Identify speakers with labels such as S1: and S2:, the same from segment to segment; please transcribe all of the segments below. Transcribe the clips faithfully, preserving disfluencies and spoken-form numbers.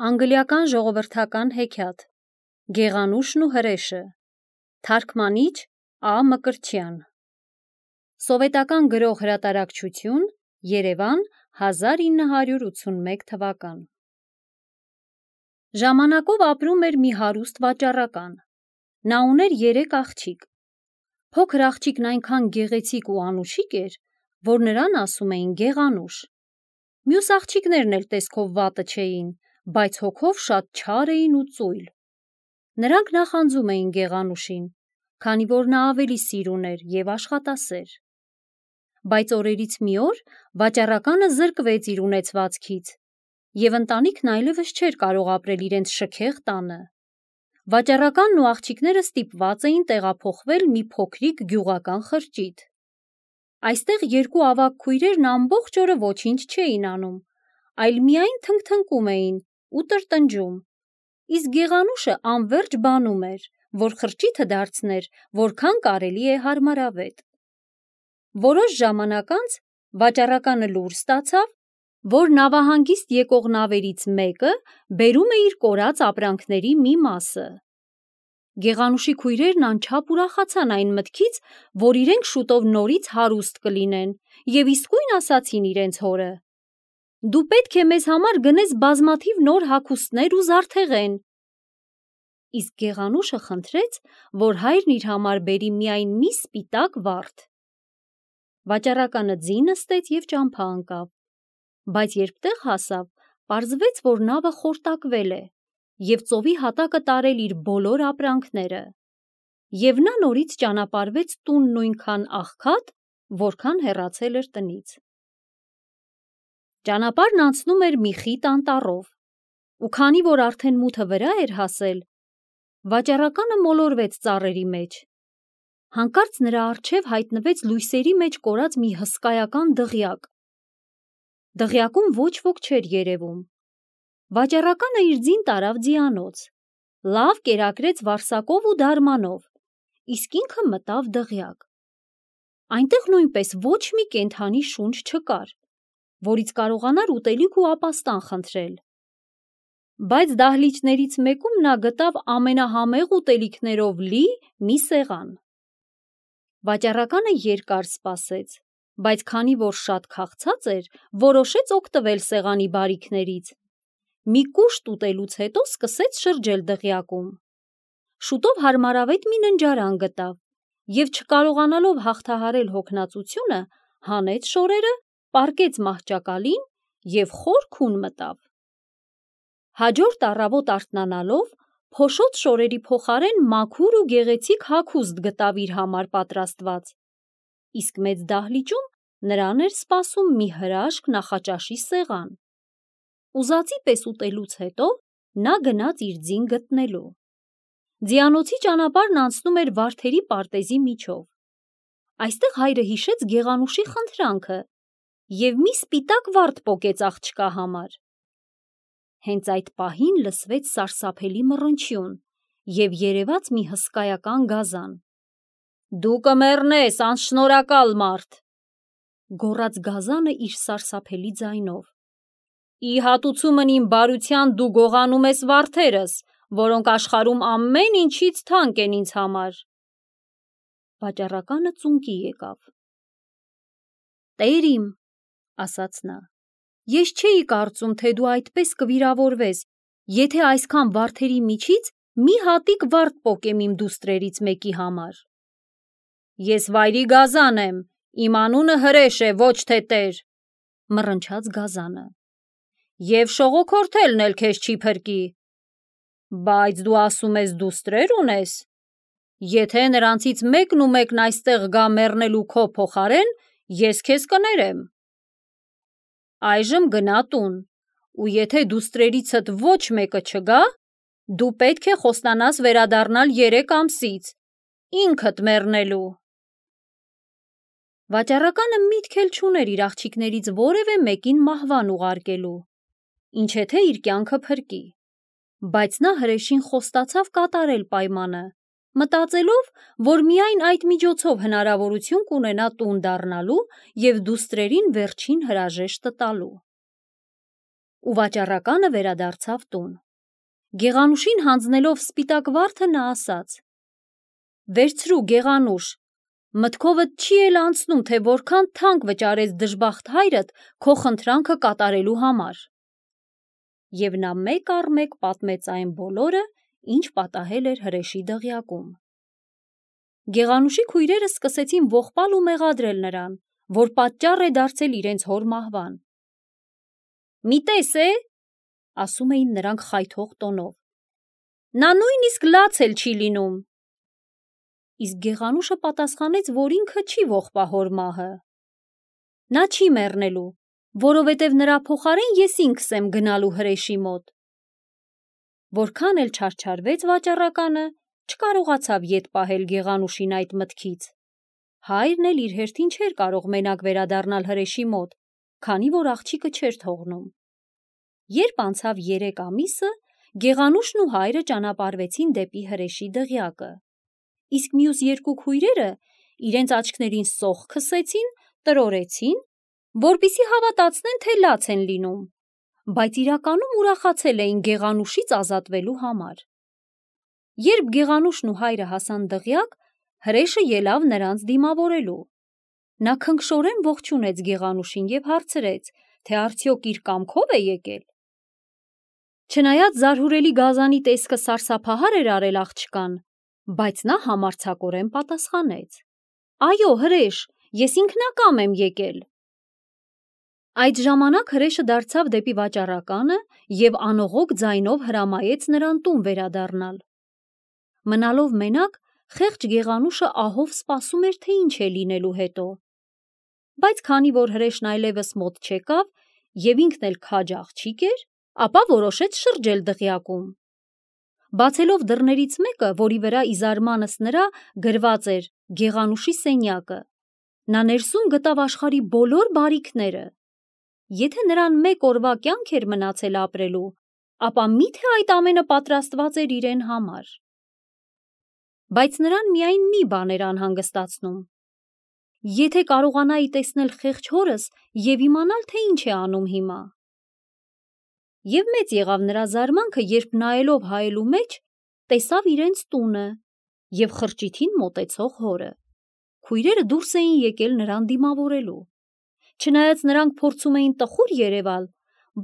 S1: Անգլիական ժողովրդական հեքիաթ Գեղանուշն ու հրեշը Թարգմանիչ Ա. Մկրտչյան Սովետական գրող հրատարակչություն Երևան հազար ինը հարյուր ութսունմեկ թվական Ժամանակով ապրում էր մի հարուստ վաճառական։ Նա ուներ երեք աղջիկ։ Փոքր աղջիկն այնքան գեղեցիկ ու անուշիկ էր, որ նրան ասում էին Գեղանուշ։ Մյուս աղջիկներն էլ տեսքով վատը չէին, բայց հոգով շատ չար էին ու ծույլ։ Նրանք նախանձում էին Գեղանուշին, քանի որ նա ավելի սիրուն էր և աշխատասեր։ Բայց օրերից մի օր վաճառականը զրկվեց իր ունեցվածքից, և ընտանիքն այլևս չէր կարող ապրել իրենց շքեղ տանը։ Վաճառականն ու աղջիկները ստիպված էին տեղափոխվել մի փոքրիկ գյուղական խրճիթ։ Այստեղ երկու ավագ քույրերն ամբողջ օրը ոչինչ չէին անում, այլ միայն թնգթնկում էին ու տրտնջում, իսկ Գեղանուշը անվերջ բանում էր, որ խրճիթը դարձներ որքան կարելի է հարմարավետ։ Որոշ ժամանակ անց վաճառականը լուր ստացավ, որ նավահանգիստ եկող նավերից մեկը բերում է իր կորած ապրանքների մի մասը։ Գեղանուշի քույրերն անչափ ուրախացան այն մտքից, որ իրենք շուտով նորից հարուստ կլինեն, և իսկույն ասացին իրենց հորը. «Դու պետք է մեզ համար գնես բազմաթիվ նոր հագուստներ ու զարդեղեն»։ Իսկ Գեղանուշը խնդրեց, որ հայրն իր համար բերի միայն մի սպիտակ վարդ։ Վաճառականը ձի նստեց և ճամփա ընկավ, բայց երբ տեղ հասավ, պարզվեց, որ նավը խորտակվել է և ծովի հատակը տարել իր բոլոր ապրանքները, և նա նորից ճանապարհվեց տուն նույնքան աղքատ, որքան հեռացել էր տնից։ Ճանապարհն անցնում էր մի խիտ անտառով, ու քանի որ արդեն մութը վրա էր հասել, վաճառականը մոլորվեց ծառերի մեջ։ Հանկարծ նրա առջև հայտնվեց լույսերի մեջ կորած մի հսկայական դղյակ։ Դղյակում ոչ ոք չէր երևում։ Վաճառականը իր ձին տարավ ձիանոց, լավ կերակրեց վարսակով ու դարմանով, իսկ ինքը մտավ դղյակ։ Այնտեղ նույնպես ոչ մի կենդանի շունչ չկար, որից կարողանար ուտելիք ու ապաստան խնդրել։ Բայց դահլիճներից մեկում նա գտավ ամենահամեղ ուտելիքներով լի մի սեղան։ Վաճառականը երկար սպասեց, բայց քանի որ շատ քաղցած էր, որոշեց օգտվել սեղանի բարիքներից։ Մի կուշտ ուտելուց հետո սկսեց շրջել դղյակում։ Շուտով հարմարավետ մի ննջարան գտավ և, չկարողանալով հաղթահարել հոգնածությունը, հանեց շորերը, պառկեց մահճակալին և խոր քուն մտավ։ Հաջորդ առավոտ արթնանալով, փոշոտ շորերի փոխարեն մաքուր ու գեղեցիկ հագուստ գտավ իր համար պատրաստված, իսկ մեծ դահլիճում նրան էր սպասում մի հրաշք նախաճաշի սեղան։ Ուզածի պես ուտելուց հետո նա գնաց իր ձին գտնելու։ Ձիանոցի ճանապարհն անցնում էր վարդերի պարտեզի միջով։ Այստեղ հայրը հիշեց Գեղանուշի խնդրանքը և մի սպիտակ վարդ պոկեց աղջկա համար։ Հենց այդ պահին լսվեց սարսափելի մռնչյուն և երևաց մի հսկայական գազան։ «Դու կմեռնես, անշնորհակալ մարդ», գոռաց գազանը իր սարսափելի ձայնով։ «Ի հատուցումն իմ բարության դու գողանում ես վարդերս, որոնք աշխարհում ամեն ինչից թանկ են ինձ համար»։ Վաճառականը ծունկի եկավ։ «Տեր իմ», ասաց նա, «ես չէի կարծում, թե դու այդպես կվիրավորվես, եթե այսքան վարդերի միջից մի հատիկ վարդ պոկեմ իմ դուստրերից մեկի համար»։ «Ես վայրի գազան եմ, իմ անունը հրեշ է, ոչ թե տեր», մռնչաց գազանը։ «Եվ շողոքորթելն էլ քեզ չի փրկի։ Բայց դու ասում ես դուստրեր ունես։ Եթե նրանցից մեկն ու մեկն այստեղ գա մեռնելու քո փոխարեն, ես քեզ կներեմ։ Այժմ գնա տուն, ու եթե դուստրերիցդ ոչ մեկը չգա, դու պետք է խոստանաս վերադառնալ երեք ամսից, ինքդ մեռնելու»։ Վաճառականը միտք էլ չուներ իր աղջիկներից որևէ մեկին մահվան ուղարկելու, ինչ եթե իր կյանքը փրկի, բայց նա հրեշին խոստացավ կատարել պայմանը, մտածելով, որ միայն այդ միջոցով հնարավորություն կունենա տուն դառնալու և դուստրերին վերջին հրաժեշտը տալու։ ու վաճառականը վերադարձավ տուն։ Գեղանուշին հանձնելով սպիտակ վարդը նա ասաց. «Վերցրու, Գեղանուշ, մտքովդ չի էլ անցնում, թե որքան թանկ վճարեց դժբախտ հայրդ քո խնդրանքը կատարելու համար»։ Եվ նա մեկ առ մեկ պատմեց այն բոլորը, ինչ պատահել էր հրեշի դղյակում։ Գեղանուշի քույրերը սկսեցին ողբալ ու մեղադրել նրան, որ պատճառ է դարձել իրենց հոր մահվան։ «Մի տես է», ասում էին նրանք խայթող տոնով, «նա նույնիսկ լաց էլ չի լինում»։ Իսկ Գեղանուշը պատասխանեց, որ ինքը չի ողբա հոր մահը։ Նա չի մեռնելու, որովհետև նրա փոխարեն ես ինքս եմ գնալու հրեշի մոտ։ Որքան էլ չարչարվեց վաճառականը, չկարողացավ ետ պահել Գեղանուշին այդ մտքից։ Հայրն էլ իր հերթին չէր կարող մենակ վերադառնալ հրեշի մոտ, քանի որ աղջիկը չէր թողնում։ Երբ անցավ երեք ամիսը, Գեղանուշն ու հայրը ճանապարհվեցին դեպի հրեշի դղյակը։ Իսկ մյուս երկու քույրերը իրենց աչքներին սոխ քսեցին, տրորեցին, որպեսզի հավատացնեն, թե լաց են լինում, բայց իրականում ուրախացել էին Գեղանուշից ազատվելու համար։ Երբ Գեղանուշն ու հայրը հասան դղյակ, հրեշը ելավ նրանց դիմավորելու։ Նա քնքշորեն ողջունեց Գեղանուշին և հարցրեց, թե արդյոք իր կամքով է եկել։ Չնայած զարհուրելի գազանի տեսքը սարսափահար էր արել աղջկան, բայց նա համարձակորեն պատասխանեց. «Այո, հրեշ, ես ինքնակամ եմ եկել»։ Այդ ժամանակ հրեշը դարձավ դեպի վաճառականը և անողոք ձայնով հրամայեց նրան տուն վերադառնալ։ Մնալով մենակ, խեղճ Գեղանուշը ահով սպասում էր, թե ինչ է լինելու հետո։ Բայց քանի որ հրեշն այլևս մոտ չեկավ և ինքն էլ քաջ աղջիկ էր, ապա որոշեց շրջել դղյակում։ Բացելով դռներից մեկը, որի վրա ի զարմանս նրա գրված էր Գեղանուշի սենյակը, նա ներսում գտավ աշխարհի բոլոր բարիքները։ Եթե նրան մեկ օրվա կյանք էր մնացել ապրելու, ապա մի՞թե այդ ամենը պատրաստված էր իրեն համար։ Բայց նրան միայն մի բան էր անհանգստացնում. եթե կարողանայի տեսնել խեղճ հորս և իմանալ, թե ինչ է անում հիմա։ Եվ մեծ եղավ նրա զարմանքը, երբ նայելով հայելու մեջ, տեսավ իրենց տունը և խրճիթին մոտեցող հորը։ Քույրերը դուրս էին եկել նրան դիմավորելու։ Չնայած նրանք փորձում էին տխուր երևալ,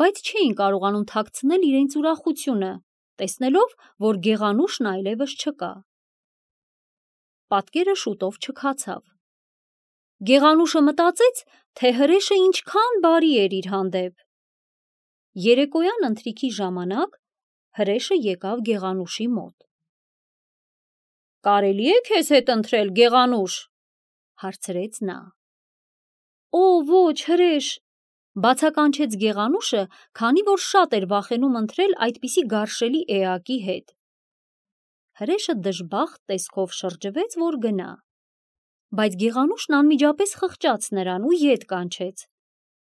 S1: բայց չէին կարողանում թաքցնել իրենց ուրախությունը, տեսնելով, որ Գեղանուշն այլևս չկա։ Պատկերը շուտով չքացավ։ Գեղանուշը մտածեց, թե հրեշը ինչքան բարի էր իր հանդեպ։ Երեկոյան ընթրիքի ժամանակ հրեշը եկավ Գեղանուշի մոտ։ «Կարելի է քեզ հետ ընթրել, Գեղանուշ», հարցրեց նա։ «Օ, ոչ, հրեշ», բացականչեց Գեղանուշը, քանի որ շատ էր վախենում ընթրել այդպիսի գարշելի էակի հետ։ Հրեշը դժբախտ տեսքով շրջվեց, որ գնա։ Բայց Գեղանուշն անմիջապես խղճաց նրան ու ետ կանչեց։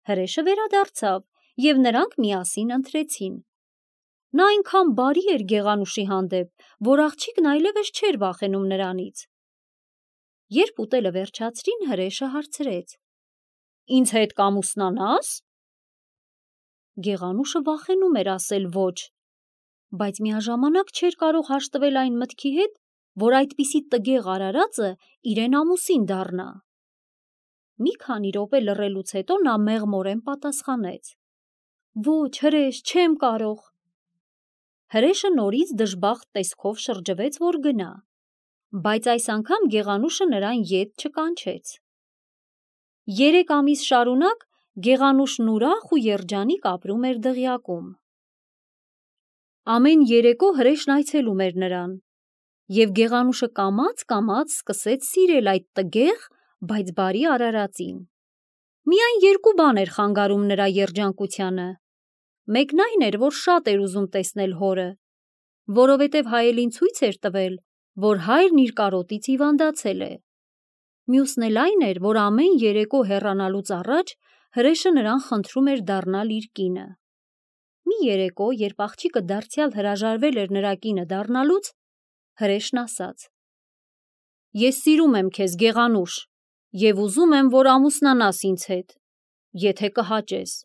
S1: Հրեշը վերադարձավ, և նրանք միասին ընթրեցին։ Նա այնքան բարի էր Գեղանուշի հանդեպ, որ աղջիկն այլևս չէր վախենում նրանից։ Երբ ուտելը վերջացրին, հրեշը հարցրեց. «Ինձ հետ կամուսնանա՞ս»։ Գեղանուշը վախենում էր ասել ոչ, բայց միաժամանակ չէր կարող հաշտվել այն մտքի հետ, որ այդպիսի տգեղ արարածը իրեն ամուսին դառնա։ Մի քանի րոպե լռելուց հետո նա մեղմորեն պատասխանեց. «Ոչ, հրեշ, չեմ կարող»։ Հրեշը նորից դժբախտ տեսքով շրջվեց, որ գնա, բայց այս անգամ Գեղանուշը նրան ետ չկանչեց։ Երեք ամիս շարունակ Գեղանուշն ուրախ ու երջանիկ ապրում էր դղյակում։ Ամեն երեկո հրեշն այցելում էր նրան, և Գեղանուշը կամաց-կամաց սկսեց սիրել այդ տգեղ, բայց բարի արարածին։ Միայն երկու բան էր խանգարում նրա երջանկությանը։ Մեկն այն էր, որ շատ էր ուզում տեսնել հորը, որովհետև հայելին ցույց էր տվել, որ հայրն իր կարոտից հիվանդացել է։ Մյուսն էլ այն էր, որ ամեն երեկո հեռանալուց առաջ հրեշը նրան խնդրում էր դառնալ իր կինը։ Մի երեկո, երբ աղջիկը դարձյալ հրաժարվել էր նրա կինը դառնալուց, հրեշն ասաց. «Ես սիրում եմ քեզ, Գեղանուշ, և ուզում եմ, որ ամուսնանաս ինձ հետ, եթե կհաճես»։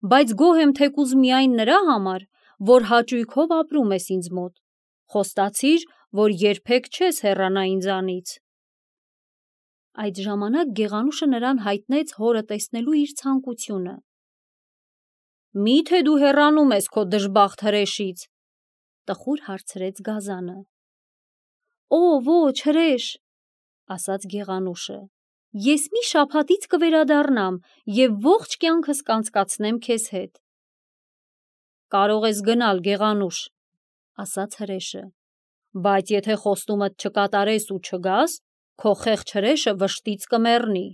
S1: բայց գոհ եմ թեկուզ միայն նրա համար, որ հաճույքով ապրում ես ինձ մոտ, խոստացիր, որ երբեք չես հեռանա ինձանից։ Այդ ժամանակ Գեղանուշը նրան հայտնեց հորը տեսնելու իր ցանկությունը։ Մի՞թե դու հեռանում ես քո դժբախտ հրեշից, տխուր հարցրեց Գազանը։ Օ, ոչ, հրեշ, ասաց Գեղանուշը, ես մի շաբաթից կվերադառնամ և ողջ կյանքս կանցկացնեմ քեզ հետ։ Կարող ես գնալ, Գեղանուշ, ասաց հրեշը, բայց եթե խոստումդ չկատարես ու չգաս, քո խեղճ հրեշը վշտից կմեռնի։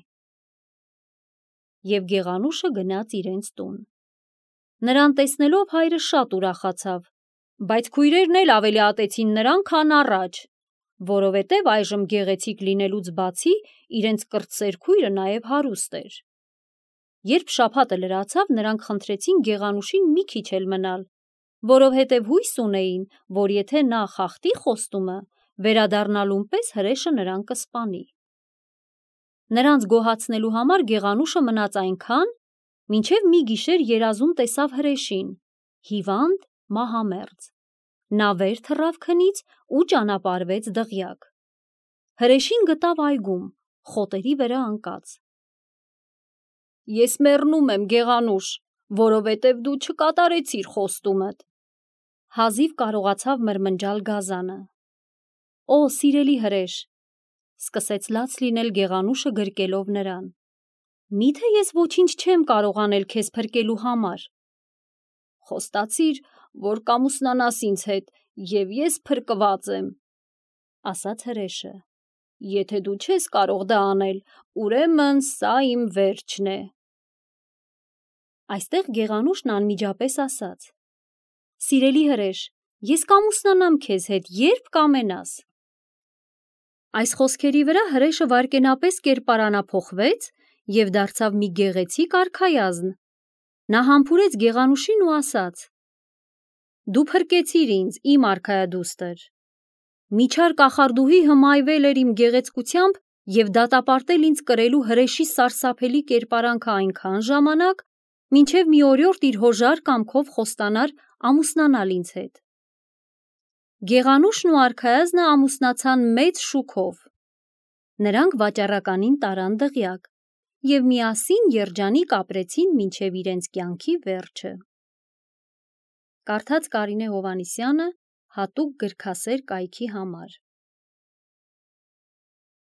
S1: Եվ Գեղանուշը գնաց իրենց տուն։ Նրան տեսնելով հայրը շատ ուրախացավ, բայց քույրերն էլ ավելի ատեցին նրան, քան առաջ, որովհետև այժմ գեղեցիկ լինելուց բացի իրենց կրտսեր քույրը նաև հարուստ էր։ Երբ շաբաթը լրացավ, նրանք խնդրեցին Գեղանուշին մի քիչ էլ մնալ, որովհետև հույս ունեին, որ եթե նա խախտի խոստումը, վերադառնալուն պես հրեշը նրան կսպանի։ Նրանց գոհացնելու համար Գեղանուշը մնաց այնքան, մինչև մի գիշեր երազում տեսավ հրեշին, հիվանդ, մահամերձ։ Նա վեր թռավ քնից ու ճանապարհվեց դղյակ։ Հրեշին գտավ այգում, խոտերի վրա ընկած։ Ես մեռնում եմ, Գեղանուշ, որովհետև դու չկատարեցիր խոստումդ, հազիվ կարողացավ մրմնջալ Գազանը։ Օ, սիրելի հրեշ, սկսեց լաց լինել Գեղանուշը գրկելով նրան։ Միթե ես ոչինչ չեմ կարող անել քեզ փրկելու համար։ Խոստացիր, որ կամուսնանաս ինձ հետ, և ես փրկված եմ, ասաց հրեշը։ Եթե դու չես կարող դա անել, ուրեմն սա իմ վերջն է։ Այստեղ Գեղանուշն անմիջապես ասաց. Սիրելի հրեշ, ես կամուսնանամ քեզ հետ, երբ կամենաս։ Այս խոսքերի վրա հրեշը վայրկենապես կերպարանափոխվեց և դարձավ մի գեղեցիկ արքայազն։ Նա համբուրեց Գեղանուշին ու ասաց. Դու փրկեցիր ինձ, իմ արքայադուստր։ Միջար կախարդուհի հմայվել էր իմ գեղեցկությամբ և դատապարտել ինձ կրելու հրեշի սարսափելի կերպարանքը այնքան ժամանակ, մինչև մի օրիորդ իր հոժար կամքով խոստանար ամուսնանալ ինձ հետ։ Գեղանուշն ու արքայազնը ամուսնացան մեծ շուքով։ Նրանք վաճառականին տարան դղյակ և միասին երջանիկ ապրեցին մինչև իրենց կյանքի վերջը։ Կարդաց Կարինե Հովհաննիսյանը հատուկ գրքասեր կայքի համար։